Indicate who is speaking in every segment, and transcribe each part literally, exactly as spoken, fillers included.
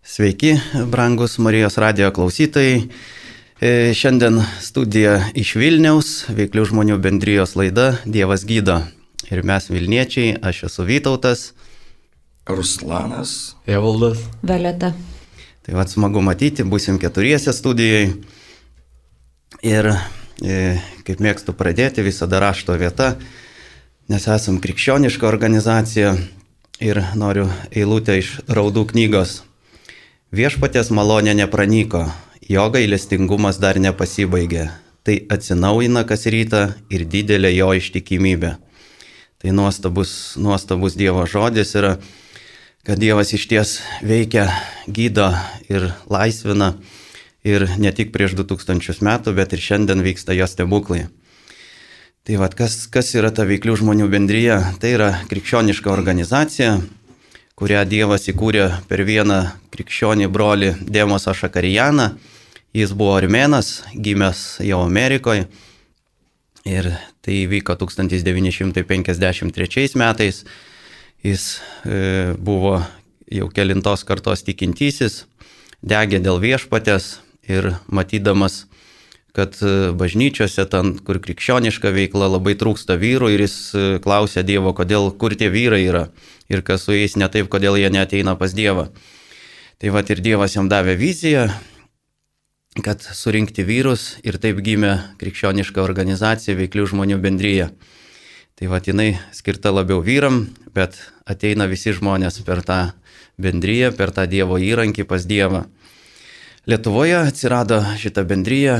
Speaker 1: Sveiki, brangus Marijos radijo klausytojai. Šiandien studija iš Vilniaus, Veiklių žmonių bendrijos laida Dievas gydo. Ir mes Vilniečiai, aš esu Vytautas.
Speaker 2: Ruslanas.
Speaker 3: Evaldas.
Speaker 4: Violeta.
Speaker 1: Tai vad smagu matyti, būsim keturiese studijai. Ir e, kaip mėgstu pradėti, visada rašto vieta, nes esam krikščioniška organizacija ir noriu eilutę iš Raudų knygos. Viešpaties malonė nepranyko, jo gailestingumas dar nepasibaigė. Tai atsinaujina kas rytą ir didelė jo ištikimybė. Tai nuostabus, nuostabus Dievo žodis yra, kad Dievas išties veikia, gydo ir laisvina. Ir ne tik prieš du tūkstančius metų, bet ir šiandien vyksta jo stebuklai. Tai vad, kas, kas yra ta Veiklių žmonių bendrija? Tai yra krikščioniška organizacija, kurią Dievas įkūrė per vieną krikščionį brolį Demosą Šakarijaną. Jis buvo armėnas, gimęs jau Amerikoje. Ir tai vyko tūkstantis devyni šimtai penkiasdešimt trečiais metais. Jis e, buvo jau kelintos kartos tikintysis, degė dėl viešpatės ir matydamas, kad bažnyčiose, ten, kur krikščioniška veikla, labai trūksta vyrų, ir jis klausė Dievo, kodėl, kur tie vyrai yra ir kas su jais ne taip, kodėl jie neateina pas Dievą. Tai vat ir Dievas jam davė viziją, kad surinkti vyrus, ir taip gimė krikščioniška organizacija Veiklių žmonių bendrija. Tai vat jinai skirta labiau vyram, bet ateina visi žmonės per tą bendriją, per tą Dievo įrankį pas Dievą. Lietuvoje atsirado šita bendrija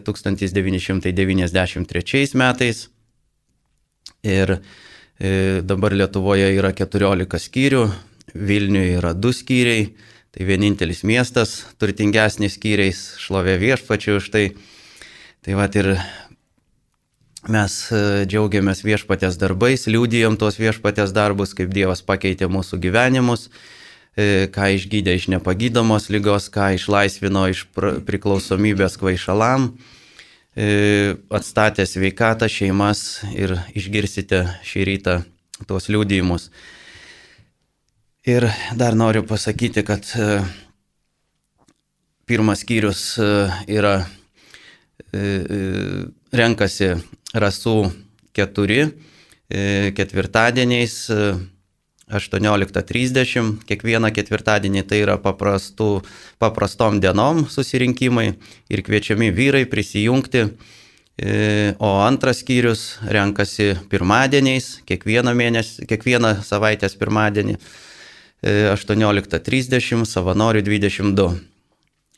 Speaker 1: tūkstantis devyni šimtai devyniasdešimt trečiais metais ir dabar Lietuvoje yra keturiolika skyrių, Vilniuje yra du skyriai, tai vienintelis miestas, turtingesnis skyriais, šlovė viešpačiui už tai. Tai vat ir mes džiaugiamės viešpatės darbais, liudijom tuos viešpatės darbus, kaip Dievas pakeitė mūsų gyvenimus, ką išgydė iš nepagydomos ligos, ką išlaisvino iš priklausomybės kvaišalam, atstatė sveikatą, šeimas, ir išgirsite šį rytą tuos liudijimus. Ir dar noriu pasakyti, kad pirmas skyrius yra renkasi rasų keturi ketvirtadieniais aštuonioliktą trisdešimt, kiekvieną ketvirtadienį tai yra paprastų, paprastom dienom susirinkimai ir kviečiami vyrai prisijungti, o antras skyrius renkasi pirmadieniais, kiekvieną mėnesį, kiekvieną savaitės pirmadienį, aštuonioliktą trisdešimt, savanorių dvidešimt du.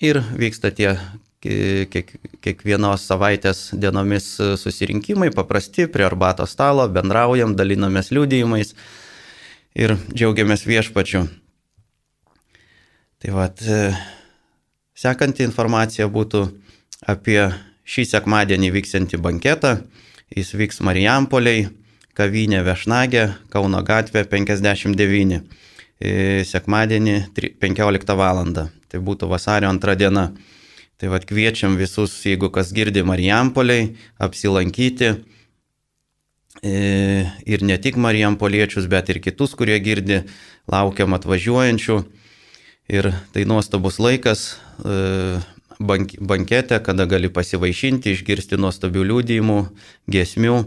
Speaker 1: Ir vyksta tie kiek, kiekvienos savaitės dienomis susirinkimai, paprasti, prie arbatos stalo, bendraujam, dalinamės liudijimais ir džiaugiamės viešpačiu. Tai vat, sekanti informacija būtų apie šį sekmadienį vyksiantį banketą. Jis vyks Marijampoliai, kavinė Viešnagė, Kauno gatvė penkiasdešimt devyni. Sekmadienį penkioliktą valandą. Tai būtų vasario antra diena. Tai vat kviečiam visus, jeigu kas girdi Marijampoliai, apsilankyti. Ir ne tik marijampoliečius, bet ir kitus, kurie girdi, laukiam atvažiuojančių. Ir tai nuostabus laikas bank, bankete, kada gali pasivaišinti, išgirsti nuostabių liudijimų, giesmių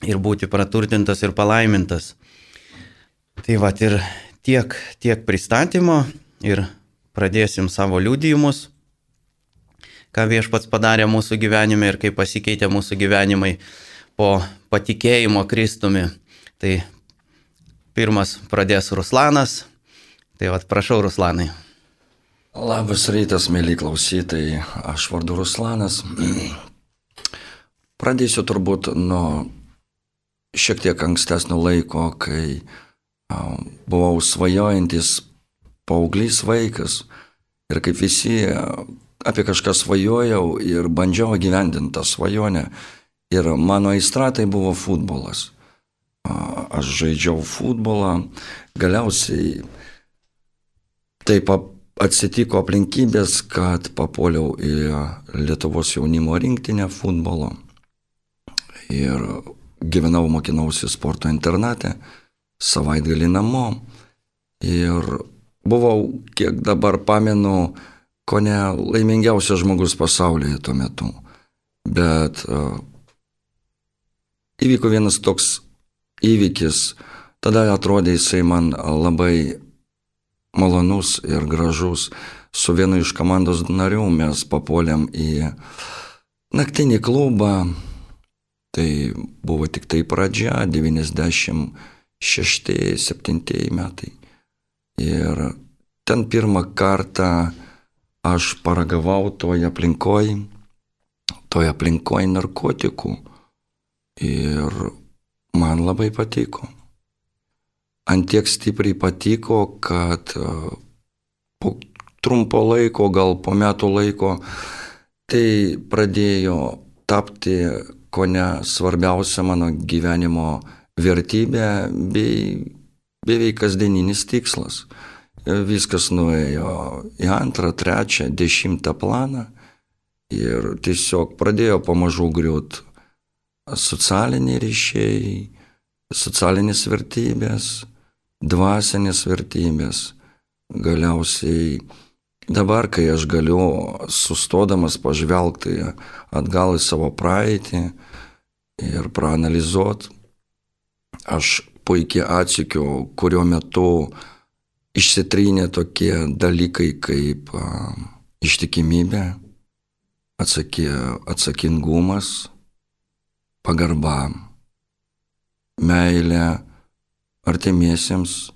Speaker 1: ir būti praturtintas ir palaimintas. Tai vat ir tiek, tiek pristatymo, ir pradėsim savo liudijimus, ką viešpats padarė mūsų gyvenime ir kaip pasikeitė mūsų gyvenimai po patikėjimo Kristumi. Tai pirmas pradės Ruslanas. Tai vat prašau, Ruslanai.
Speaker 2: Labas rytas, mėly klausytojai. Aš vardu Ruslanas. Pradėsiu turbūt nuo šiek tiek ankstesnio laiko, kai buvau svajojantis paauglys vaikas. Ir kaip visi apie kažką svajojau ir bandžiau įgyvendinti tą svajonę. Ir mano aistra tai buvo futbolas. Aš žaidžiau futbolą, galiausiai taip atsitiko aplinkybės, kad papuoliau į Lietuvos jaunimo rinktinę futbolo. Ir gyvenau, mokinausi sporto internate, savaitgalį namo. Ir buvau, kiek dabar pamenu, ko ne laimingiausias žmogus pasaulyje tuo metu. Bet uh, įvyko vienas toks įvykis, tada atrodė jisai man labai malonus ir gražus. Su vienu iš komandos narių mes papuolėm į naktinį klubą. Tai buvo tik tai pradžia, devyniasdešimt šešti septinti metai. Ir ten pirmą kartą aš paragavau toje aplinkoj, toje aplinkoj narkotikų. Ir man labai patiko. Ant tiek stipriai patiko, kad po trumpo laiko, gal po metų laiko, tai pradėjo tapti kone svarbiausia mano gyvenimo vertybė bei beveik kasdieninis tikslas. Viskas nuėjo į antrą, trečią, dešimtą planą ir tiesiog pradėjo pamažu griūt socialiniai ryšiai, socialinės vertybės, dvasinės vertybės. Galiausiai dabar, kai aš galiu sustodamas pažvelgti atgal į savo praeitį ir praanalizuot, aš puikiai atsikiu, kurio metu išsitrynė tokie dalykai kaip a, ištikimybė, atsaky, atsakingumas, pagarba, meilė artimiesiems,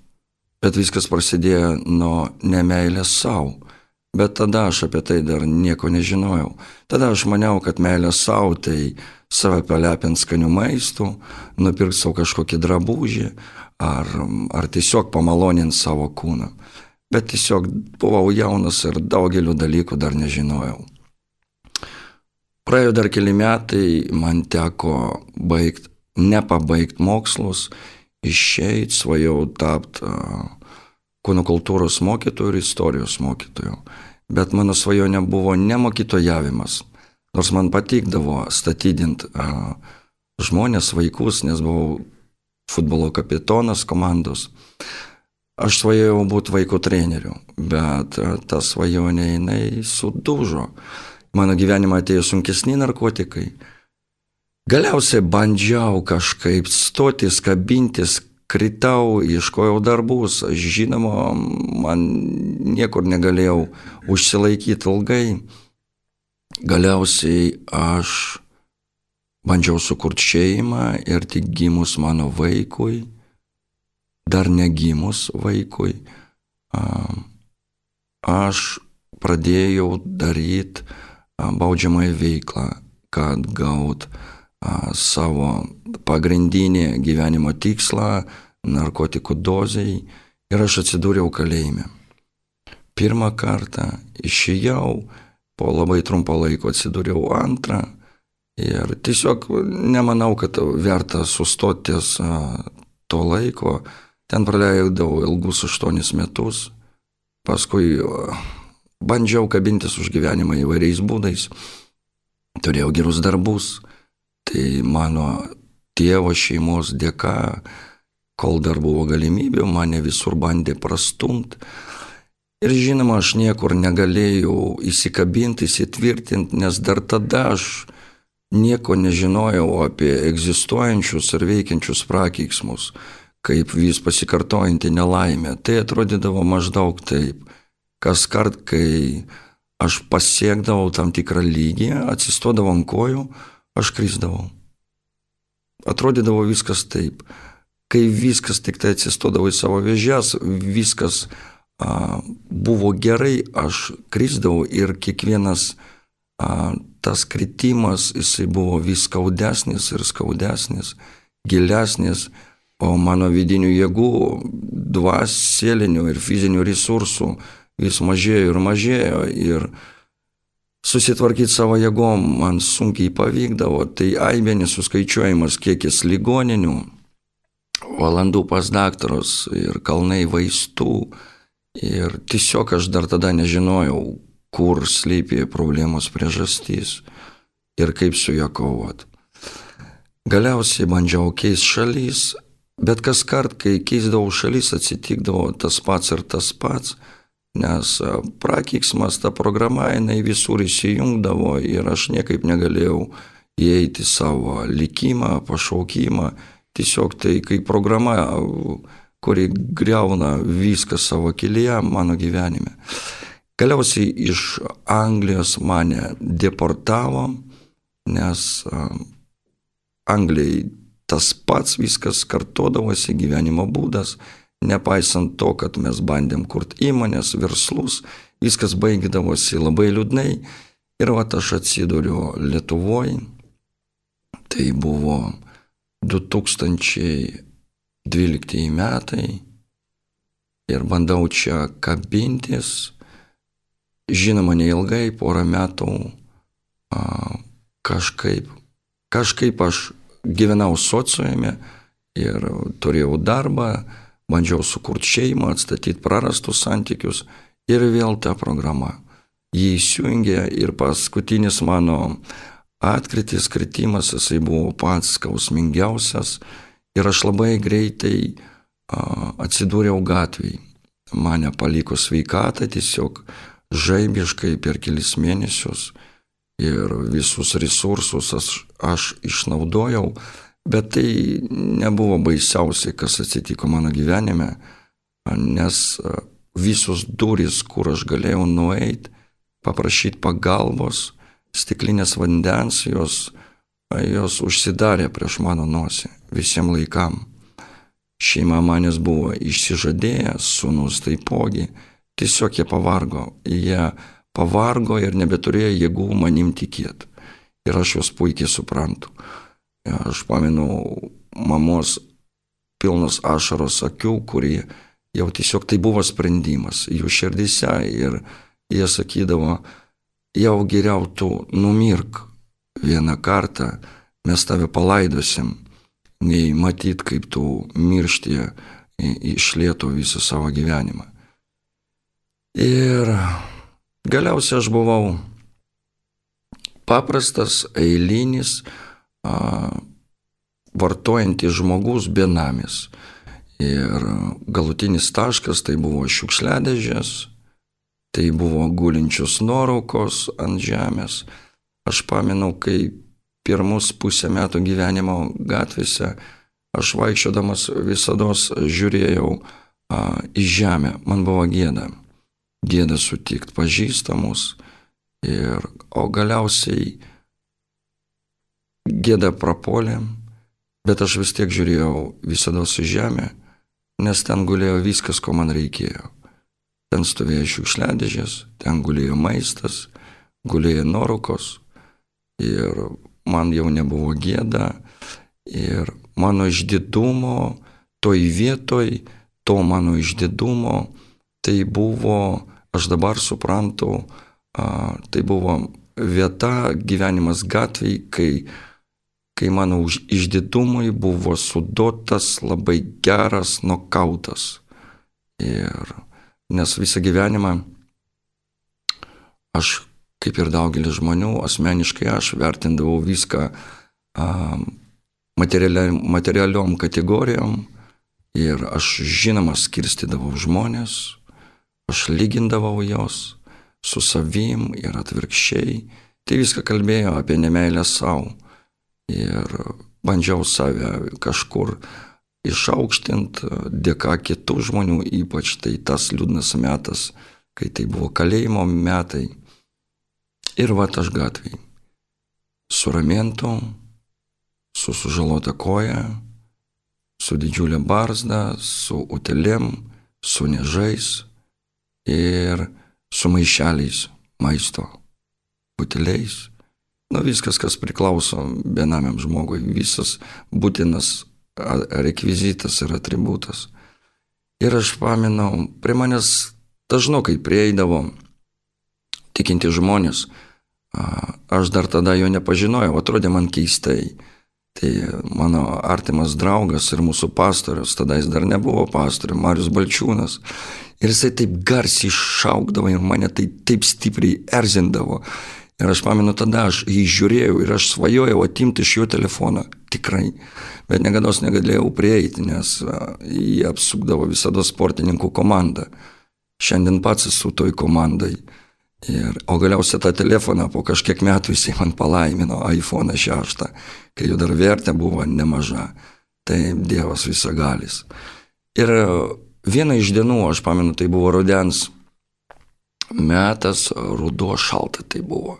Speaker 2: bet viskas prasidėjo nuo nemeilės savo. Bet tada aš apie tai dar nieko nežinojau. Tada aš maniau, kad meilė savo tai save palepint skanių maistų, nupirkt savo kažkokį drabužį ar, ar tiesiog pamalonint savo kūną. Bet tiesiog buvau jaunas ir daugelių dalykų dar nežinojau. Praėjo dar keli metai, man teko baigt, nepabaigt mokslus, išeit, svajau tapt uh, kūno kultūros mokytojų ir istorijos mokytojų. Bet mano svajonė buvo ne mokytojavimas, nors man patikdavo statydint uh, žmonės, vaikus, nes buvau futbolo kapitonas komandos. Aš svajojau būti vaikų treneriu, bet uh, ta svajonė jinai sudužo. Mano gyvenimą atėjo sunkesni narkotikai. Galiausiai bandžiau kažkaip stotis, kabintis, kritau, ieškojau darbus. Žinoma, man niekur negalėjau užsilaikyti ilgai. Galiausiai aš bandžiau sukurti šeimą ir tik gimus mano vaikui, dar negimus vaikui, aš pradėjau daryti baudžiamąją veiklą, kad gaut a, savo pagrindinį gyvenimo tikslą, narkotikų dozei, ir aš atsidūriau kalėjime. Pirmą kartą išėjau, po labai trumpo laiko atsidūriau antrą ir tiesiog nemanau, kad verta sustotis a, to laiko. Ten praleidau ilgus aštuonis metus, paskui a, bandžiau kabintis už gyvenimą įvairiais būdais, turėjau gerus darbus, tai mano tėvo šeimos dėka, kol dar buvo galimybė, mane visur bandė prastumt. Ir žinoma, aš niekur negalėjau įsikabinti, įsitvirtinti, nes dar tada aš nieko nežinojau apie egzistuojančius ir veikiančius prakeiksmus, kaip vis pasikartojanti nelaimė. Tai atrodydavo maždaug taip. Kas kart, kai aš pasiekdavau tam tikrą lygį, atsistodavau ant kojų, aš krisdavau. Atrodydavo viskas taip. Kai viskas tik tai atsistodavo į savo vėžes, viskas a, buvo gerai, aš krisdavau ir kiekvienas a, tas kritimas, jisai buvo vis skaudesnis ir skaudesnis, gilesnis, o mano vidinių jėgų, dvaselinių ir fizinių resursų vis mažėjo ir mažėjo ir susitvarkyti savo jėgom man sunkiai pavykdavo. Tai aibė nesuskaičiuojamas kiekis ligoninių, valandų pas daktarus ir kalnai vaistų. Ir tiesiog aš dar tada nežinojau, kur slypi problemos priežastys ir kaip su ją kovot. Galiausiai bandžiau keisti šalis Bet kas kart, kai keisdavau šalis, atsitikdavo tas pats ir tas pats, nes prakeiksmas, ta programa, jinai visur įsijungdavo ir aš niekaip negalėjau įeiti savo likimą, pašaukimą. Tiesiog tai kaip programa, kuri griauna viską savo kelyje mano gyvenime. Galiausiai iš Anglijos mane deportavo, nes Anglijai tas pats viskas kartodavosi, gyvenimo būdas, nepaisant to, kad mes bandėm kurti įmonės, verslus, viskas baigdavosi labai liūdnai. Ir vat aš atsiduriu Lietuvoje, tai buvo du tūkstančiai dvyliktieji metai ir bandau čia kabintis. Žinoma, neilgai, porą metų a, kažkaip, kažkaip aš gyvenau sociume ir turėjau darbą, bandžiau sukurti šeimą, atstatyti prarastus santykius ir vėl ta programa. Jį įsijungė ir paskutinis mano atkritis, kritimas, jisai buvo pats skausmingiausias ir aš labai greitai a, atsidūriau gatvėje. Mane paliko sveikatą tiesiog žaibiškai per kelis mėnesius. Ir visus resursus aš, aš išnaudojau, bet tai nebuvo baisiausiai, kas atsitiko mano gyvenime, nes visos durys, kur aš galėjau nueiti, paprašyti pagalbos, stiklinės vandens, jos, jos užsidarė prieš mano nosį visiems laikam. Šeima manęs buvo išsižadėję, sūnus taipogi, tiesiog jie pavargo, jie pavargo ir nebeturėjo jėgų manim tikėti. Ir aš juos puikiai suprantu. Aš pamenu mamos pilnos ašaros akių, kurie jau tiesiog tai buvo sprendimas jų širdyse ir jie sakydavo, jau geriau tu numirk vieną kartą, mes tave palaidosim, nei matyt, kaip tu miršti iš lėto visą savo gyvenimą. Ir galiausiai aš buvau paprastas, eilinis, a, vartojantis žmogus, benamis. Ir galutinis taškas tai buvo šiukšliadėžės, tai buvo gulinčios nuotraukos ant žemės. Aš pamenu, kai pirmus pusę metų gyvenimo gatvėse aš vaikščiodamas visados žiūrėjau a, į žemę, man buvo gėda. Gėda sutikti pažįstamus, ir, o galiausiai gėda prapuolė, bet aš vis tiek žiūrėjau visada su žemė, nes ten gulėjo viskas, ko man reikėjo. Ten stovėjo šiukšliadėžės, ten gulėjo maistas, gulėjo nuorūkos ir man jau nebuvo gėda ir mano išdidumo, toj vietoj, to mano išdidumo, tai buvo, aš dabar suprantu, a, tai buvo vieta, gyvenimas gatvėje, kai, kai mano išdidumui buvo suduotas labai geras nokautas. Ir nes visą gyvenimą aš, kaip ir daugelis žmonių, asmeniškai aš vertindavau viską a, materialiom, materialiom kategorijom ir aš žinoma skirstydavau žmonės. Aš lygindavau jos su savim ir atvirkščiai. Tai viską kalbėjo apie nemeilę savo. Ir bandžiau save kažkur išaukštinti dėka kitų žmonių, ypač tai tas liūdnas metas, kai tai buvo kalėjimo metai. Ir vat aš gatvėj. Su ramentu, su sužalota koja, su didžiulė barzda, su utelėm, su niežais. Ir su maišeliais maisto, buteliais. Nu, viskas, kas priklauso benamiam žmogui, visas būtinas rekvizitas ir atributas. Ir aš pamenu, prie manęs dažnokai prieidavo tikinti žmonės. Aš dar tada jo nepažinojau, atrodė man keistai. Tai mano artimas draugas ir mūsų pastorius, tada jis dar nebuvo pastorius, Marius Balčiūnas. Ir jisai taip garsiai šaukdavo ir mane tai taip stipriai erzindavo. Ir aš pamenu, tada aš jį žiūrėjau ir aš svajojau atimti iš jo telefoną. Tikrai. Bet negados negalėjau prieiti, nes jį apsukdavo visada sportininkų komanda. Šiandien pats esu toj komandai. Ir, o galiausiai tą telefoną po kažkiek metų jis man palaimino iPhone šeštą, kai jau dar vertė buvo nemaža. Tai Dievas visagalis. Ir vieną iš dienų, aš pamenu, tai buvo rudens metas, ruduo šalta tai buvo.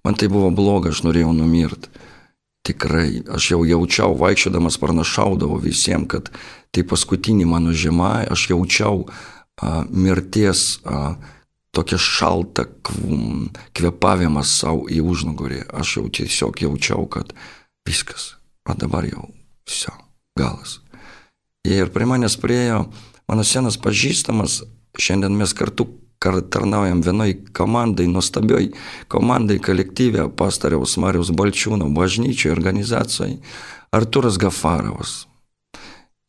Speaker 2: Man tai buvo bloga, aš norėjau numirti. Tikrai, aš jau jaučiau, vaikščiodamas pranašaudavau visiems, kad tai paskutinį mano žiema, aš jaučiau a, mirties a, tokia šalta kvėpavimas savo į užnugarį. Aš jau tiesiog jaučiau, kad viskas, o dabar jau viso, galas. Ir prie manęs priejo mano senas pažįstamas, šiandien mes kartu tarnaujam vienoj komandai, nuostabioj komandai, kolektyve pastoriaus Mariaus Balčiūno bažnyčioj, organizacijoj, Artūras Gafarovas.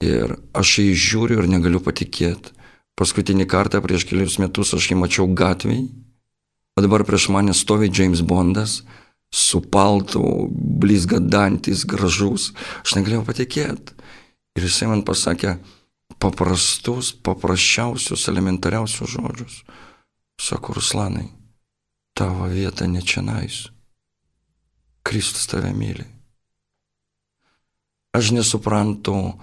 Speaker 2: Ir aš jį žiūriu ir negaliu patikėti. Paskutinį kartą prieš kelius metus aš jį mačiau gatvėj, o dabar prieš mane stovi James Bondas, su paltu, blizgadantis, gražus. Aš negalėjau patikėti. Ir jisai man pasakė paprastus, paprasčiausius, elementariausius žodžius. Sako, Ruslanai, tavo vieta ne čionais. Kristus tave myli. Aš nesuprantu,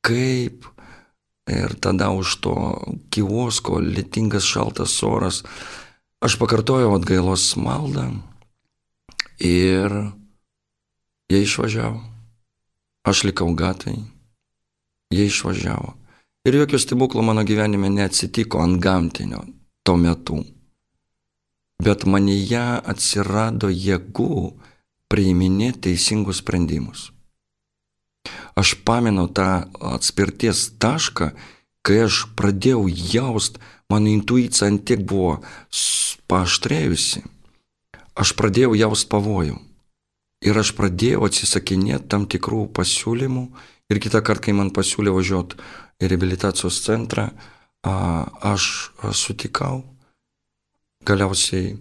Speaker 2: kaip ir tada už to kiosko, lietingas šaltas oras, aš pakartojau atgailos maldą ir jie išvažiavo. Aš likau gatvėj, jie išvažiavo. Ir jokio stebuklo mano gyvenime neatsitiko ant gamtinio tuo metu. Bet manyje atsirado jėgų priiminėti teisingus sprendimus. Aš pamenu tą atspirties tašką, kai aš pradėjau jaust, mano intuicija ant tiek buvo paaštrėjusi. Aš pradėjau jaust pavojų. Ir aš pradėjau atsisakinėti tam tikrų pasiūlymų. Ir kitą kartą, kai man pasiūlė važiuoti į reabilitacijos centrą, aš sutikau. Galiausiai,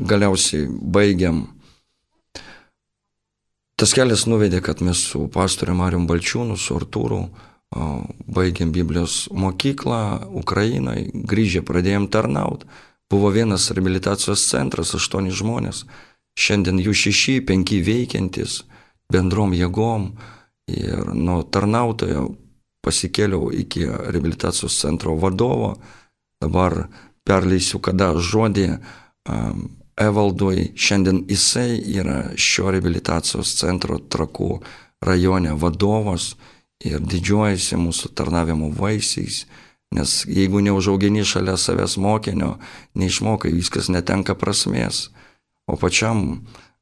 Speaker 2: galiausiai baigiam. Tas kelias nuvedė, kad mes su pastoriu Marium Balčiūnu, su Artūru, baigiam Biblijos mokyklą Ukrainai, grįžę pradėjom tarnaut. Buvo vienas reabilitacijos centras, aštuoni žmonės. Šiandien jų šeši, penki veikiantis, bendrom jėgom. Ir nuo tarnautojo pasikėliau iki reabilitacijos centro vadovo. Dabar perleisiu kada žodį um, Evaldui. Šiandien jisai yra šio reabilitacijos centro Trakų rajone vadovas ir didžiuojasi mūsų tarnavimo vaisiais, nes jeigu neužaugini šalia savęs mokinio, neišmokai, viskas netenka prasmės. O pačiam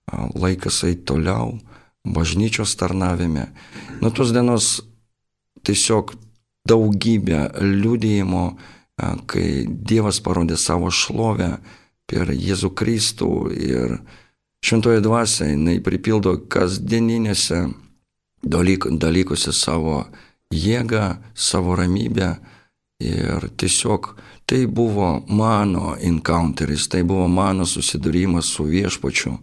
Speaker 2: laikas eit toliau, bažnyčios tarnavime. Nuo tos dienos tiesiog daugybė liudijimo, kai Dievas parodė savo šlovę per Jėzų Kristų ir šventoji dvasia, jinai pripildo kasdieninėse dalyk, dalykuose savo jėgą, savo ramybę. Ir tiesiog tai buvo mano encounteris, tai buvo mano susidūrimas su viešpačiu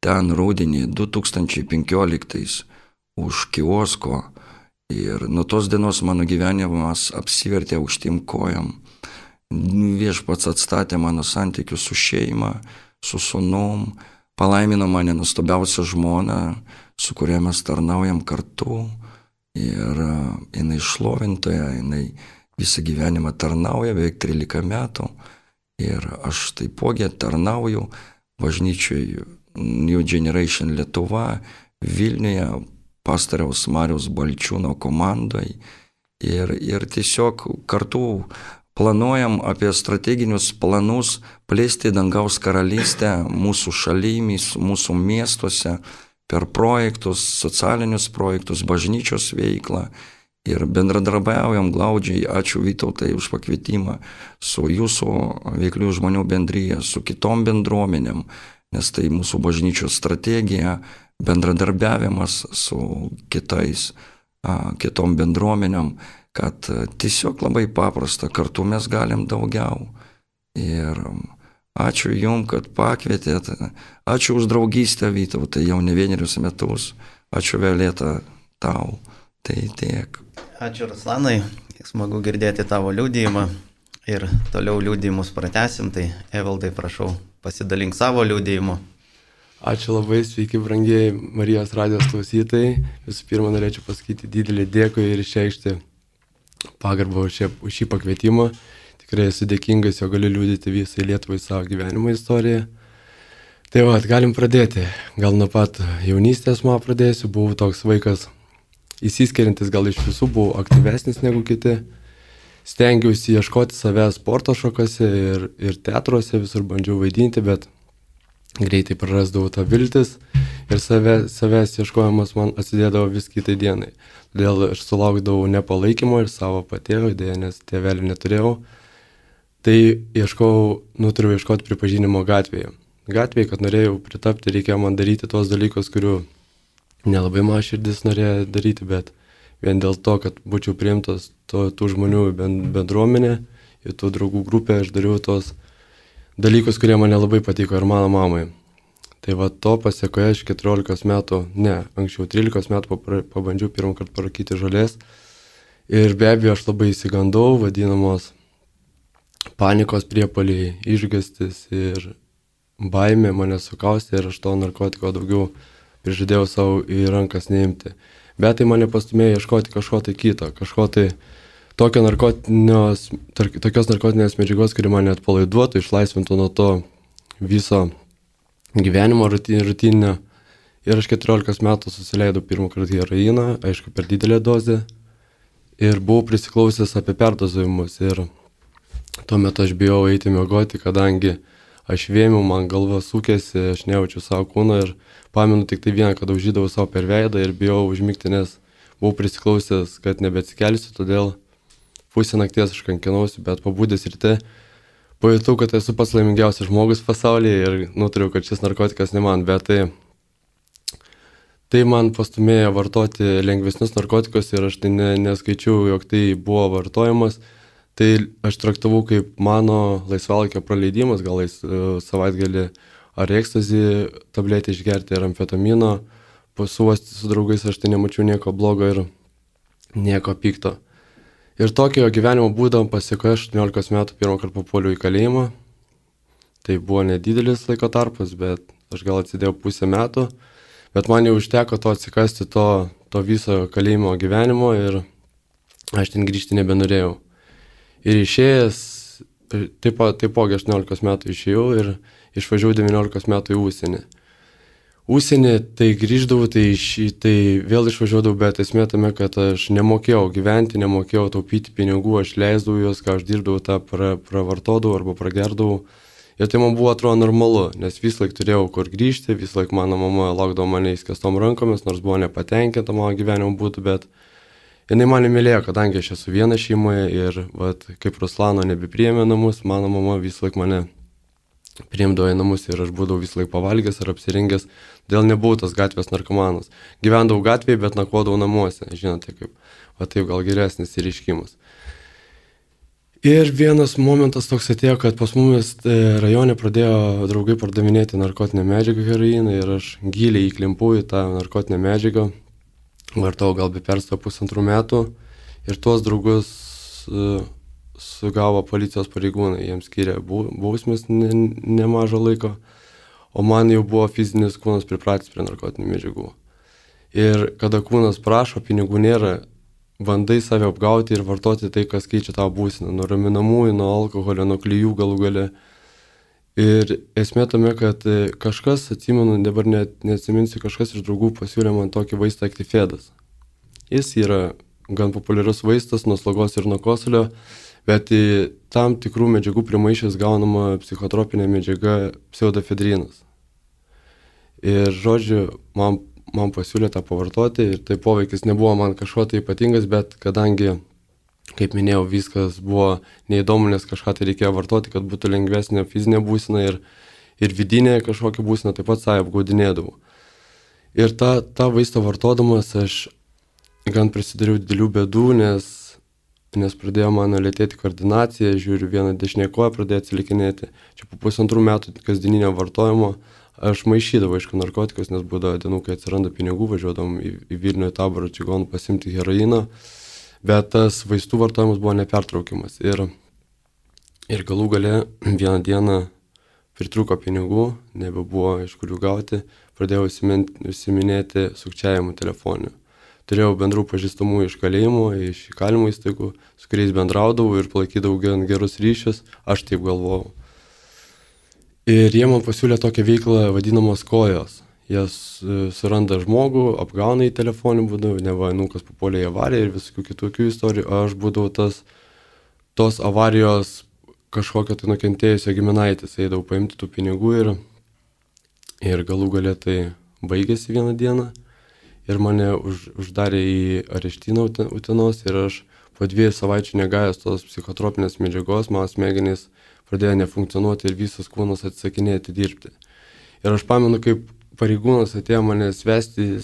Speaker 2: ten rudenį du tūkstančiai penkioliktais už kiosko. Ir nuo tos dienos mano gyvenimas apsivertė aukštym kojom. Viešpats atstatė mano santykius su šeima, su sūnum, palaimino mane nuostabiausią žmoną, su kuria mes tarnaujam kartu. Ir jinai šlovintoja, jinai visą gyvenimą tarnauja, beveik trylika metų. Ir aš taipogi tarnauju bažnyčioj New Generation Lietuva, Vilniuje, pastoriaus Mariaus Balčiūno komandai. Ir, ir tiesiog kartu planuojam apie strateginius planus plėsti dangaus karalystę mūsų šalimis, mūsų miestuose, per projektus, socialinius projektus, bažnyčios veiklą. Ir bendradarbiaujam glaudžiai, ačiū Vytautai už pakvietimą, su jūsų veiklių žmonių bendryje, su kitom bendruomenėm, nes tai mūsų bažnyčios strategija, bendradarbiavimas su kitais, a, kitom bendruomenėm, kad tiesiog labai paprasta, kartu mes galim daugiau. Ir Ačiū Jums, kad pakvietėt. Ačiū už draugystę, Vytautai, jau ne vienerius metus. Ačiū Violeta tau. Tai tiek.
Speaker 1: Ačiū Ruslanai, smagu girdėti tavo liudijimą ir toliau liudijimus pratęsim. Tai Evaldai, prašau, pasidalink savo liudijimu.
Speaker 3: Ačiū labai, sveiki, brangieji Marijos radijos klausytojai. Visų pirma, norėčiau pasakyti didelį dėkui ir išreikšti pagarbą už šį pakvietimą. Tikrai esu dėkingas, jo galiu liudyti visai Lietuvai savo gyvenimo istoriją. Tai va, galim pradėti. Gal nuo pat jaunystės man pradėsiu. Buvau toks vaikas įsiskiriantis, gal iš visų buvau aktyvesnis negu kiti. Stengiausi ieškoti savęs sporto šakose ir, ir teatruose, visur bandžiau vaidinti, bet greitai prarasdavau tą viltis ir save, savęs ieškojimas man atsidėdavo vis kitai dienai. Todėl aš sulaukdavau nepalaikymo ir savo patėvio, dėja, nes tėvelį neturėjau. Tai ieškau, nutariau ieškoti pripažinimo gatvėje. Gatvėje, kad norėjau pritapti, reikėjo man daryti tuos dalykus, kurių nelabai man širdis norėjo daryti, bet vien dėl to, kad būčiau priimtas to, tų žmonių bendruomenė, į tų draugų grupę, aš dariau tos dalykus, kurie man nelabai patiko ir mano mamai. Tai va to pasiekoje aš keturiolikos metų, ne, anksčiau trylikos metų pabandžiau pirmą kartą parūkyti žolės. Ir be abejo aš labai įsigandau, vadinamos panikos priepuoliai, išgąstis ir baimė mane sukaustė ir aš to narkotiko daugiau prižadėjau savo į rankas neimti. Bet tai mane pastumėjo ieškoti kažko tai kito, kažko tai tokio narkotinės, tokios narkotinės medžiagos, kuri mane atpalaiduotų, išlaisvintų nuo to viso gyvenimo rutininio. Ir aš keturiolikos metų susileidau pirmą kartą heroiną, aišku, per didelę dozę. Ir buvau prisiklausęs apie perdozavimus. Ir tuo metu aš bijau eiti miegoti, kadangi aš vėmiau, man galva sukėsi, aš nejaučiu savo kūno ir pamenu tik tai vieną, kad daužydavau savo per veidą ir bijau užmigti, nes buvau prisiklausęs, kad nebeatsikelsiu, todėl pusę nakties aš kankinausi, bet pabudęs ryte pajutau, kad esu pats laimingiausias žmogus pasaulyje ir nutariau, kad šis narkotikas ne man, bet tai, tai man pastumėjo vartoti lengvesnius narkotikus ir aš tai ne, neskaičiau, jog tai buvo vartojimas. Tai aš traktavau kaip mano laisvalaikio praleidimas, gal savaitgalį ar ekstazį tabletę išgerti ar amfetamino, pasuosti su draugais, aš tai nemačiau nieko blogo ir nieko pikto. Ir tokio gyvenimo būdą pasiekoje aštuoniolikos metų pirmą kartą papuoliau į kalėjimą. Tai buvo nedidelis laiko tarpas, bet aš gal atsidėjau pusę metų, bet man jau užteko to atsikasti to, to viso kalėjimo gyvenimo ir aš ten grįžti nebenorėjau. Ir išėjęs, taipo, taipogi aštuoniolikos metų išėjau ir išvažiavau devyniolikos metų į užsienį. Užsienį tai grįždavau, tai, iš, tai vėl išvažiuodavau, bet esmė tame, kad aš nemokėjau gyventi, nemokėjau taupyti pinigų, aš leisdavau juos, ką aš dirbdavau, tą pra, pravartodavau arba pragerdavau. Ir tai man buvo atrodo normalu, nes vis laik turėjau kur grįžti, vis laik mano mama laukdavo mane įskestom rankomis, nors buvo nepatenkinta mano gyvenimo būtų, bet jinai mane mylėjo, kadangi aš esu viena šeimoje ir vat, kaip Ruslano nebepriėmė namus, mano mama vis laik mane priimdavo į namus ir aš būdavau vis laik pavalgęs ar apsirengęs, dėl nebuvau tas gatvės narkomanas. Gyvendavau gatvėje, bet nakvodavau namuose, žinote, kaip, va taip gal geresnis įreiškimas. Ir vienas momentas toks atėjo, kad pas mumis rajone pradėjo draugai pardavinėti narkotinę medžiagą heroiną ir aš giliai įklimpau į tą narkotinę medžiagą. Vartau gal be perstojo pusantrų metų ir tuos draugus uh, sugavo policijos pareigūnai, jiems skyrė bausmės ne, nemažo laiko, o man jau buvo fizinis kūnas pripratęs prie narkotinių medžiagų. Ir kada kūnas prašo, pinigų nėra, bandai save apgauti ir vartoti tai, kas keičia tavo būseną, nuo raminamųjų, nuo alkoholio, nuo klijų galų gale. Ir esmė tame, kad kažkas, atsimenu, dabar net neatsiminsiu, kažkas iš draugų pasiūlė man tokį vaistą Actifedas. Jis yra gan populiarus vaistas nuo slogos ir nuo kosulio, bet tam tikrų medžiagų primaišęs gaunama psichotropinė medžiaga pseudofedrinas. Ir žodžiu, man, man pasiūlė tą pavartoti ir tai poveikis nebuvo man kažko tai ypatingas, bet kadangi, kaip minėjau, viskas buvo neįdomu, nes kažką tai reikėjo vartoti, kad būtų lengvesnė fizinė būsena ir, ir vidinė kažkokia būsena, taip pat save apgaudinėdavau. Ir tą, tą vaistą vartodamas aš gan prisidariau didelių bėdų, nes nes pradėjo mano lėtėti koordinacija, žiūriu, vieną dešinę koją pradėjo atsilikinėti. Čia po pusantrų metų kasdieninio vartojimo aš maišydavau, aišku, narkotikus, nes būdavo dienų, kai atsiranda pinigų, važiuodavom į, į Vilnių į Taborą čigonų pasimti heroiną, bet tas vaistų vartojimas buvo nepertraukiamas. Ir, ir galų gale vieną dieną pritrūko pinigų, nebebuvo iš kurių gauti, pradėjau užsiminėti sukčiavimu telefoniu. Turėjau bendrų pažįstamų iš kalėjimo, iš įkalinimo įstaigų, su kuriais bendraudavau ir palaikydavau gerus ryšius, aš taip galvojau. Ir jie man pasiūlė tokią veiklą vadinamos kojos. Jie suranda žmogų, apgauna į telefonį būdų, neva nukas papuolė į avariją ir visokių kitokių istorijų, o aš būdavau tas, tos avarijos kažkokio tai nukentėjusio giminaitis, eidavau paimti tų pinigų ir, ir galų galę tai baigėsi vieną dieną ir mane už, uždarė į areštyną Utenos ir aš po dviejų savaičių negavęs tos psichotropinės medžiagos, mano smegenys pradėjo nefunkcionuoti ir visas kūnas atsisakinėti dirbti. Ir aš pamenu, kaip pareigūnas atėjo mane svesti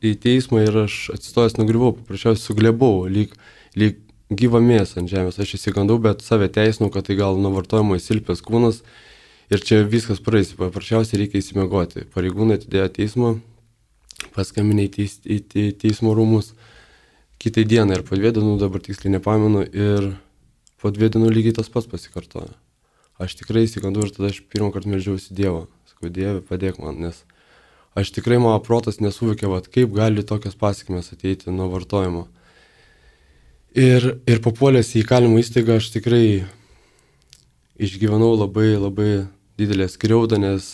Speaker 3: į teismą ir aš atsistojęs nugriuvau, paprasčiausiai suglebau, lyg, lyg gyva mėsa ant žemės. Aš įsigandau, bet save teisinau, kad tai gal nuo vartojimo įsilpęs kūnas ir čia viskas praeis, paprasčiausiai reikia įsimiegoti. Pareigūnai atidėjo teismą, paskambinė į, teis, į, į teismo rūmus kitai dienai ir po dviejų dienų, dabar tiksliai nepamenu, ir po dviejų dienų lygiai tas pats pasikartojo. Aš tikrai įsigandau ir tada aš pirmą kartą meldžiausi Dievą. Sakau, Dieve, padėk man, nes aš tikrai mano protas nesuvokė, vat, kaip gali tokios pasekmės ateiti nuo vartojimo. Ir, ir papuolęs į įkalinimo įstaigą aš tikrai išgyvenau labai, labai didelę skriaudą, nes,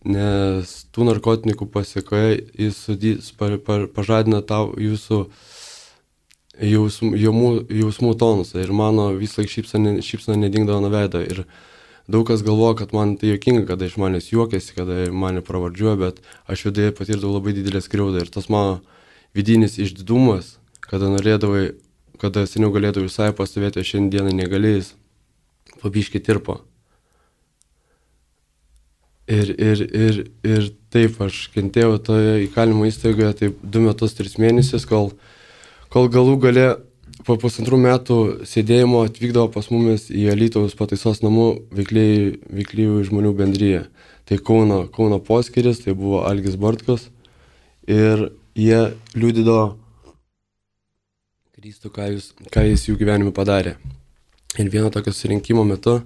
Speaker 3: nes tų narkotikų pasiekoje jis, jis pa, pa, pažadina tau jūsų jausmų, jausmų, jausmų tonusą ir mano vis laik šypsana, šypsana nedingdavo nuo veido. Ir daug kas galvoja, kad man tai juokinga, kada iš manęs juokiasi, kada mane pravardžiuoja, bet aš viduje patirdavau labai didelę skriaudą ir tas mano vidinis išdidumas, kada norėdavai, kada seniau galėdavau visai pastovėti, o šiandieną negalėjęs, pabiškai tirpo. Ir, ir, ir, ir taip aš kentėjau toje įkalinimo įstaigoje taip du metus, tris mėnesius, kol, kol galų gale po pusantrų metų sėdėjimo atvykdavo pas mumis į Alytaus pataisos namų veikliųjų žmonių bendryje. Tai Kauno, Kauno poskyris, tai buvo Algis Bartkus ir jie liudydavo Kristų, ką, jūs, ką jis jų gyvenime padarė. Ir vieno tokio susirinkimo metu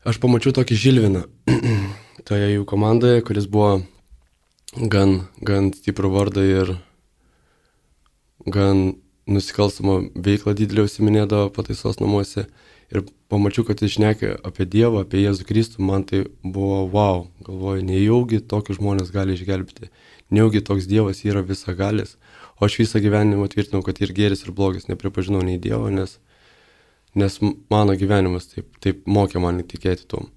Speaker 3: aš pamačiau tokį Žilviną toje jų komandoje, kuris buvo gan, gan stiprų vardą ir gan nusikalstamą veiklą didelį užsiminėdavo pataisos namuose. Ir pamačiau, kad jis šnekė apie Dievą, apie Jėzų Kristų, man tai buvo wow. Galvoju, nejaugi tokius žmonės gali išgelbėti, nejaugi toks Dievas yra visagalis. O aš visą gyvenimą tvirtinau, kad ir gėris, ir blogis, nepripažinau nei Dievo, nes, nes mano gyvenimas taip, taip mokė man tikėti tom.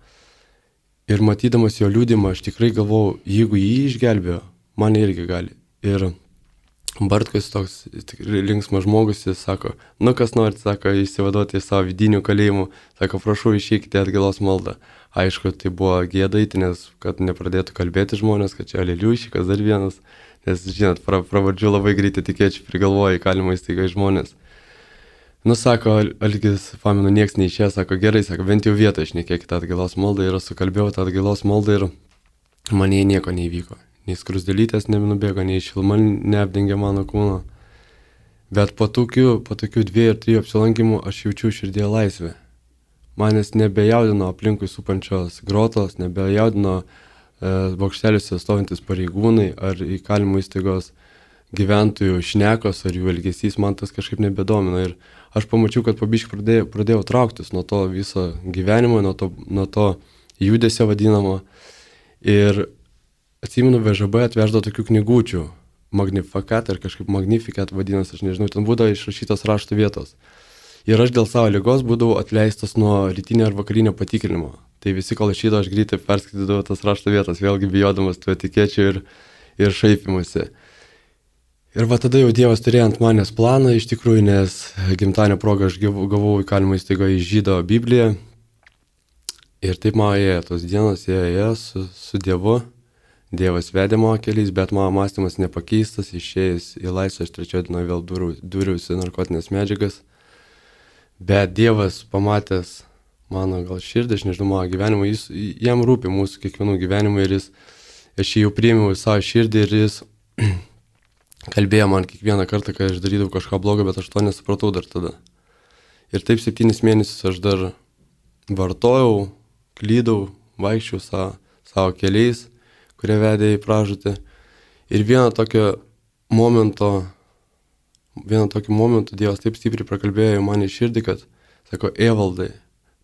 Speaker 3: Ir matydamas jo liudymą, aš tikrai galvojau, jeigu jį išgelbėjo, man irgi gali. Ir Bartkus toks tikrai linksmas žmogus, jis sako, nu kas norit, sako, išsivaduoti iš savo vidinių kalėjimų, sako, prašau, išeikite atgailos maldą. Aišku, tai buvo gėdaiti, nes kad nepradėtų kalbėti žmonės, kad čia aleliušikas dar vienas, nes, žinot, pra, pravardžių labai greitai tikėčiau prigalvoja įkalinimo įstaigai žmonės. Nu, sako, Algis, pamenu, nieks neišėjo, sako, gerai, sako, bent jau vietą išnekėkite atgailos maldą ir sukalbėjau tą atgailos maldą ir man jai nieko neįvyko. Nei skrusdelytės nenubėgo, nei šilma neapdengė mano kūno. Bet po tokių, po tokių dviejų ir trijų apsilankimų aš jaučiu širdėje laisvę. Manęs nebejaudino aplinkui supančios grotos, nebejaudino e, bokšteliuose stovintis pareigūnai ar įkalinimo įstaigos gyventojų šnekos ar jų elgesys, man tas kažkaip nebedomino. Ir aš pamačiau, kad pabiškai pradėjau, pradėjau trauktis nuo to viso gyvenimo, nuo to, nuo to judesio vadinamo. Ir atsimenu, V Ž B atveždavo tokių knygučių, Magnificat ar kažkaip Magnificat vadinasi, aš nežinau, ten būdavo išrašytos raštų vietos. Ir aš dėl savo ligos būdavau atleistas nuo rytinio ar vakarinio patikrinimo. Tai visi, kol išeidavo, aš greitai perskaitydavau tas rašto vietas, vėlgi bijodamas tų etikečių ir, ir šaipimusi. Ir va tada jau Dievas turėjo ant manęs planą, iš tikrųjų, nes gimtadienio progą aš gavau įkalinimo įstaigoje Žydo Bibliją. Ir taip man ėjo tos dienos, ėjo su, su Dievu. Dievas vedė mano keliais, bet mano mąstymas nepakeistas, išėjęs į laisvę, aš trečioje dienoje vėl dūriausi narkotinės medžiagas. Bet Dievas pamatęs mano gal širdį, aš nežinau, mano gyvenimą, jis, jam rūpi mūsų kiekvienų gyvenimą ir jis, aš jį jau priėmiau į savo širdį ir jis kalbėjo man kiekvieną kartą, kai aš darydavau kažką blogo, bet aš to nesupratau dar tada. Ir taip septynis mėnesius aš dar vartojau, klydau, vaikščiau savo, savo keliais, kurie vedė į pražūtį. Ir vieno tokio momento, vieno tokio momento Dievas taip stipriai prakalbėjo man į širdį, kad, sako, Evaldai,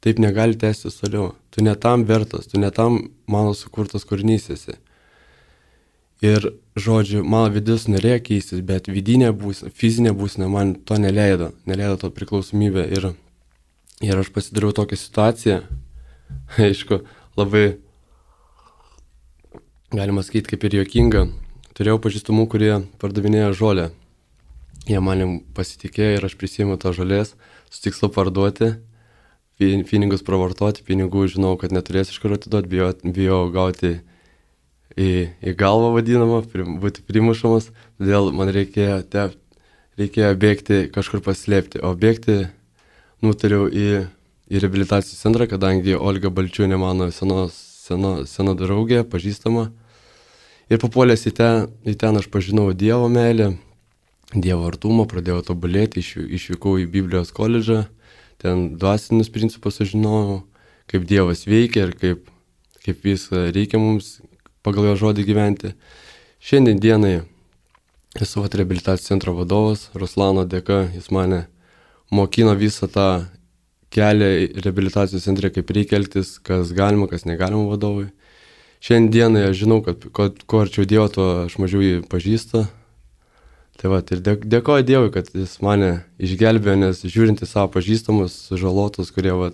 Speaker 3: taip negali tęstis toliau. Tu ne tam vertas, tu ne tam mano sukurtas kūrinys esi. Ir, žodžiu, mano vidus norėjo keistis, bet vidinė būsena, fizinė būsena man to neleido, neleido to priklausomybę. Ir, ir aš pasidariau tokią situaciją, aišku, labai, galima sakyti, kaip ir juokinga. Turėjau pažįstamų, kurie pardavinėjo žolę. Jie manim pasitikėjo ir aš prisėmiau tą žolės, su tikslu parduoti, pinigus pravartoti, pinigų žinau, kad neturėsiu iš kur atiduoti, bijau, bijau gauti į, į galvą vadinamą, būti primušamas, todėl man reikėjo, te, reikėjo bėgti kažkur paslėpti, o bėgti nutariau į, į reabilitacijos centrą, kadangi Olga Balčiūnė mano seno, seno, seno draugė, pažįstama. Ir papuolęs į ten, į ten aš pažinau Dievo meilę, Dievo artumą, pradėjau tobulėti, išvykau į Biblijos koledžą, ten dvasinius principus aš žinojau, kaip Dievas veikia ir kaip, kaip viską reikia mums pagal jo žodį gyventi. Šiandien dienai esu reabilitacijos centro vadovas, Ruslano dėka, jis mane mokino visą tą kelią reabilitacijos centre, kaip reikia elgtis, kas galima, kas negalima vadovui. Šiandien dienai aš žinau, kad kuo arčiau Dievo, tuo aš mažiau jį pažįstu. Tai va, ir dėkoju Dievui, kad jis mane išgelbėjo, nes žiūrint į savo pažįstamus, sužalotus, kurie va,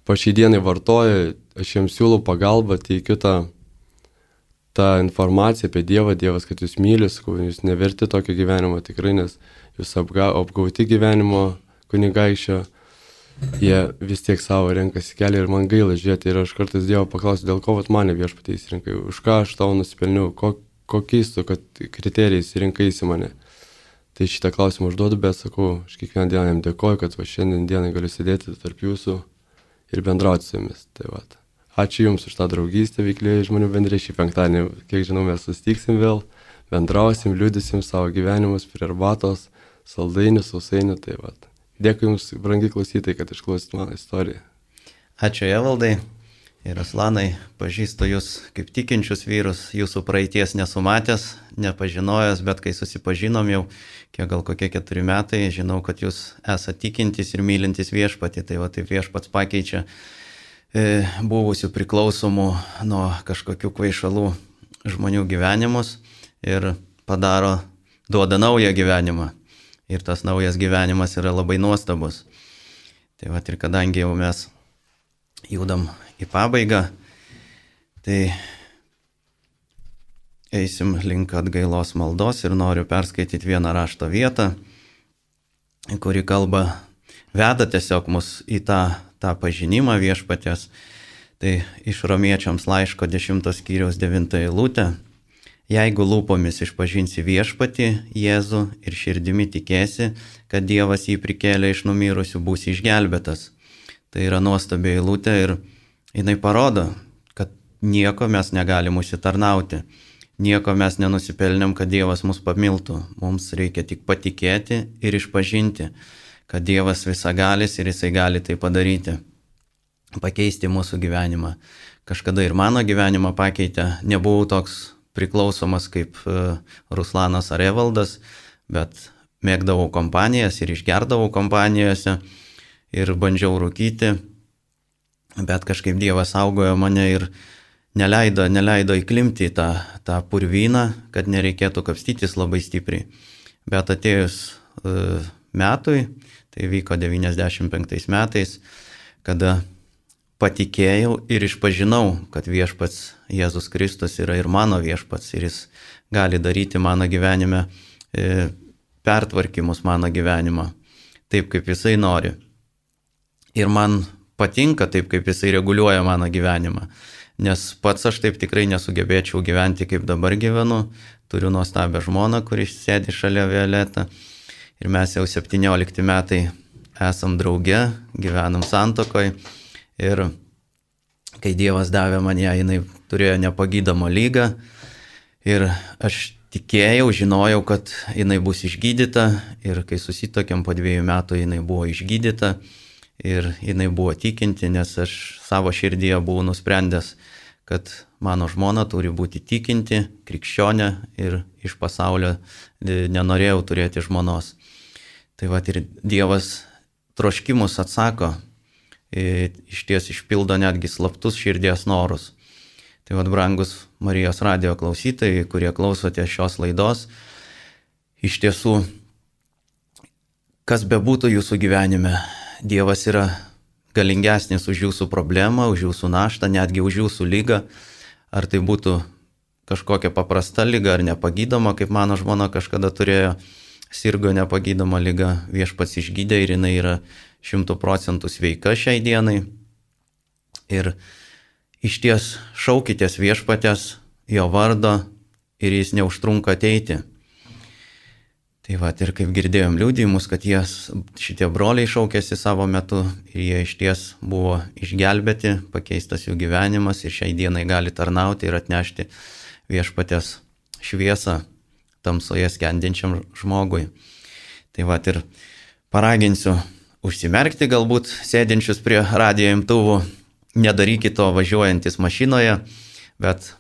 Speaker 3: po šiai dienai vartoja, aš jiems siūlau pagalbą, teikiu tą, tą informaciją apie Dievą, Dievas, kad jūs mylis, jūs neverti tokio gyvenimo tikrai, nes jūs apga, apgauti gyvenimo kunigaikščio, jie vis tiek savo renkasi kelią ir man gaila žiūrėti. Ir aš kartais Dievo paklausiu, dėl ko vat mane viešpatie įsirinkai, už ką aš tau nusipelniau, ko, kokiais tu kriterijais rinkaisi mane. Tai šitą klausimą užduodu, bet sakau, aš kiekvieną dieną jam dėkoju, kad va šiandien dienai galiu sėdėti tarp jūsų ir bendrauti su jumis. Tai va. Ačiū Jums už tą draugystę veiklėje žmonių bendrė šį penktadienį. Kiek žinau, mes susitiksim vėl, bendrausim, liudysim savo gyvenimus prie arbatos, saldainių, sausainių. Tai va. Dėkui Jums, brangi klausytojai, kad išklausyt mano istoriją.
Speaker 1: Ačiū Evaldai. Ir Ruslanai, pažįstu jūs kaip tikinčius vyrus, jūsų praeities nesumatęs, nepažinojęs, bet kai susipažinom jau, kiek gal kokie keturi metai, žinau, kad jūs esate tikintis ir mylintis viešpatį, tai va taip viešpats pakeičia e, buvusių priklausomų nuo kažkokių kvaišalų žmonių gyvenimus ir padaro, duoda naują gyvenimą. Ir tas naujas gyvenimas yra labai nuostabus. Tai va ir kadangi jau mes judam į pabaigą, tai eisim link atgailos maldos ir noriu perskaityti vieną rašto vietą, kuri kalba, veda tiesiog mus į tą, tą pažinimą viešpaties. Tai iš Romiečiams laiško dešimtos skyriaus devintą eilutę. Jeigu lūpomis išpažinsi viešpatį Jėzų ir širdimi tikėsi, kad Dievas jį prikėlė iš numirusių, būsi išgelbėtas. Tai yra nuostabi eilutė ir jinai parodo, kad nieko mes negalim užsitarnauti, nieko mes nenusipelnėm, kad Dievas mus pamiltų. Mums reikia tik patikėti ir išpažinti, kad Dievas visagalis ir jisai gali tai padaryti, pakeisti mūsų gyvenimą. Kažkada ir mano gyvenimą pakeitė, nebuvau toks priklausomas kaip Ruslanas ar Evaldas, bet mėgdavau kompanijas ir išgerdavau kompanijose ir bandžiau rūkyti. Bet kažkaip Dievas saugojo mane ir neleido, neleido įklimti į tą, tą purvyną, kad nereikėtų kapstytis labai stipriai. Bet atėjus uh, metui, tai vyko devyniasdešimt penktais metais, kada patikėjau ir išpažinau, kad viešpats Jėzus Kristus yra ir mano viešpats ir jis gali daryti mano gyvenime e, pertvarkymus mano gyvenimą, taip kaip jisai nori. Ir man patinka taip, kaip jisai reguliuoja mano gyvenimą, nes pats aš taip tikrai nesugebėčiau gyventi, kaip dabar gyvenu. Turiu nuostabią žmoną, kuri sėdi šalia Violetą ir mes jau septyniolikti metai esam drauge, gyvenam santuokoj ir kai Dievas davė man ją, jinai turėjo nepagydomą lygą ir aš tikėjau, žinojau, kad jinai bus išgydyta ir kai susitokėm po dviejų metų jinai buvo išgydyta ir jinai buvo tikinti, nes aš savo širdyje buvau nusprendęs, kad mano žmona turi būti tikinti, krikščionė ir iš pasaulio nenorėjau turėti žmonos. Tai va ir Dievas troškimus atsako, iš ties išpildo netgi slaptus širdies norus. Tai vad, brangus Marijos radijo klausytojai, kurie klausote šios laidos, iš tiesų, kas bebūtų jūsų gyvenime, Dievas yra galingesnis už jūsų problemą, už jūsų naštą, netgi už jūsų lygą. Ar tai būtų kažkokia paprasta lyga ar nepagydoma, kaip mano žmona kažkada turėjo, sirgo nepagydoma lyga, viešpats išgydė ir jinai yra šimtų procentų sveika šiai dienai. Ir iš ties šaukitės viešpatės, jo vardo ir jis neužtrunka ateiti. Tai va, ir kaip girdėjom liudijimus, kad jie, šitie broliai šaukėsi savo metu ir jie iš ties buvo išgelbėti, pakeistas jų gyvenimas ir šiai dienai gali tarnauti ir atnešti viešpatės šviesą tamsoje skendinčiam žmogui. Tai va, ir paraginsiu užsimerkti galbūt sėdinčius prie radijo imtuvų, nedarykit to važiuojantis mašinoje, bet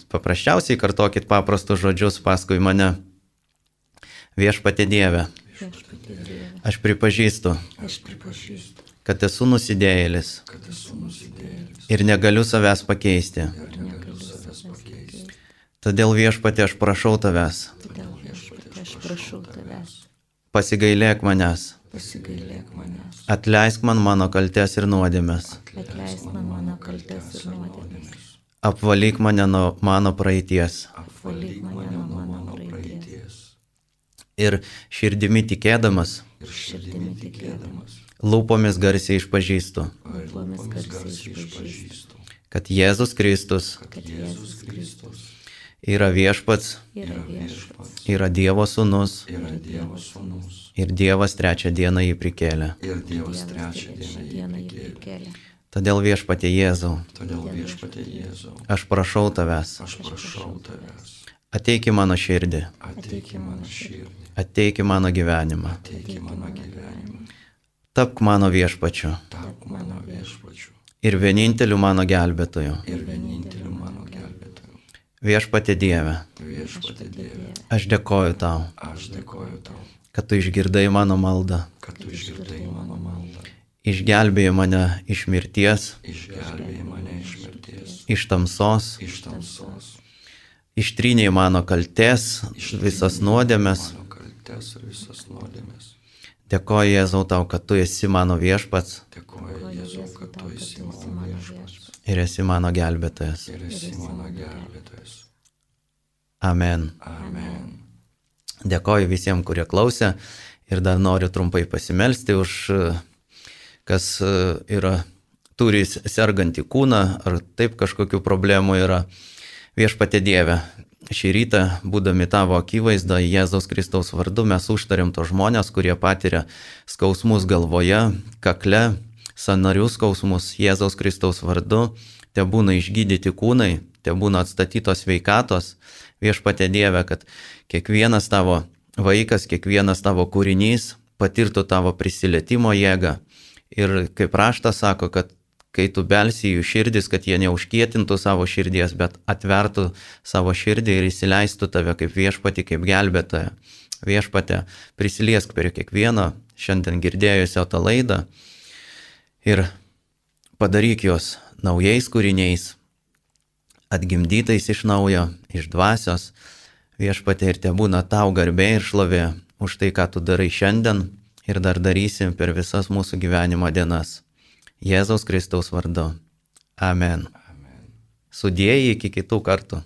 Speaker 1: paprasčiausiai kartokit paprastus žodžius paskui mane. Viešpatie Dieve, aš pripažįstu, kad esu nusidėjėlis ir negaliu savęs pakeisti. Todėl viešpatie aš prašau tavęs, pasigailėk manęs, atleisk man mano kaltes ir nuodėmes, apvalyk mane nuo mano praeities. Ir širdimi tikėdamas, lūpomis garsiai išpažįstu, kad Jėzus Kristus yra viešpats, yra Dievo sūnus ir Dievas trečią dieną jį prikėlė. Todėl viešpatie Jėzau, aš prašau tavęs, ateik į mano širdį, ateik į mano gyvenimą, tapk mano viešpačiu ir vieninteliu mano gelbėtoju. Viešpatie Dieve, aš dėkoju tau, kad tu išgirdai mano maldą, išgelbėjai mane iš mirties, iš tamsos, ištrynėjai mano kaltes, visas nuodėmes. Dėkoju Jėzau tau, kad tu esi mano viešpats ir esi mano gelbėtojas. Amen. Dėkoju visiems, kurie klausė ir dar noriu trumpai pasimelsti už, kas yra, turi sergantį kūną ar taip kažkokių problemų yra. Viešpatie Dieve, šį rytą, būdami tavo akivaizdą, Jėzaus Kristaus vardu, mes užtariam tos žmonės, kurie patiria skausmus galvoje, kakle, sąnarių skausmus Jėzaus Kristaus vardu, te būna išgydyti kūnai, te būna atstatytos sveikatos. Viešpatie Dieve, kad kiekvienas tavo vaikas, kiekvienas tavo kūrinys patirtų tavo prisilietimo jėgą. Ir kaip raštas sako, kad kai tu belsi jų širdis, kad jie neužkietintų savo širdies, bet atvertų savo širdį ir įsileistų tave kaip viešpatį, kaip gelbėtoją. Viešpate, prisiliesk prie kiekvieno šiandien girdėjusio tą laidą ir padaryk juos naujais kūriniais, atgimdytais iš naujo, iš dvasios. Viešpate, ir te būna tau garbė ir šlovė už tai, ką tu darai šiandien ir dar darysi per visas mūsų gyvenimo dienas. Jėzaus Kristaus vardu. Amen. Amen. Sudėjai iki kitų kartų.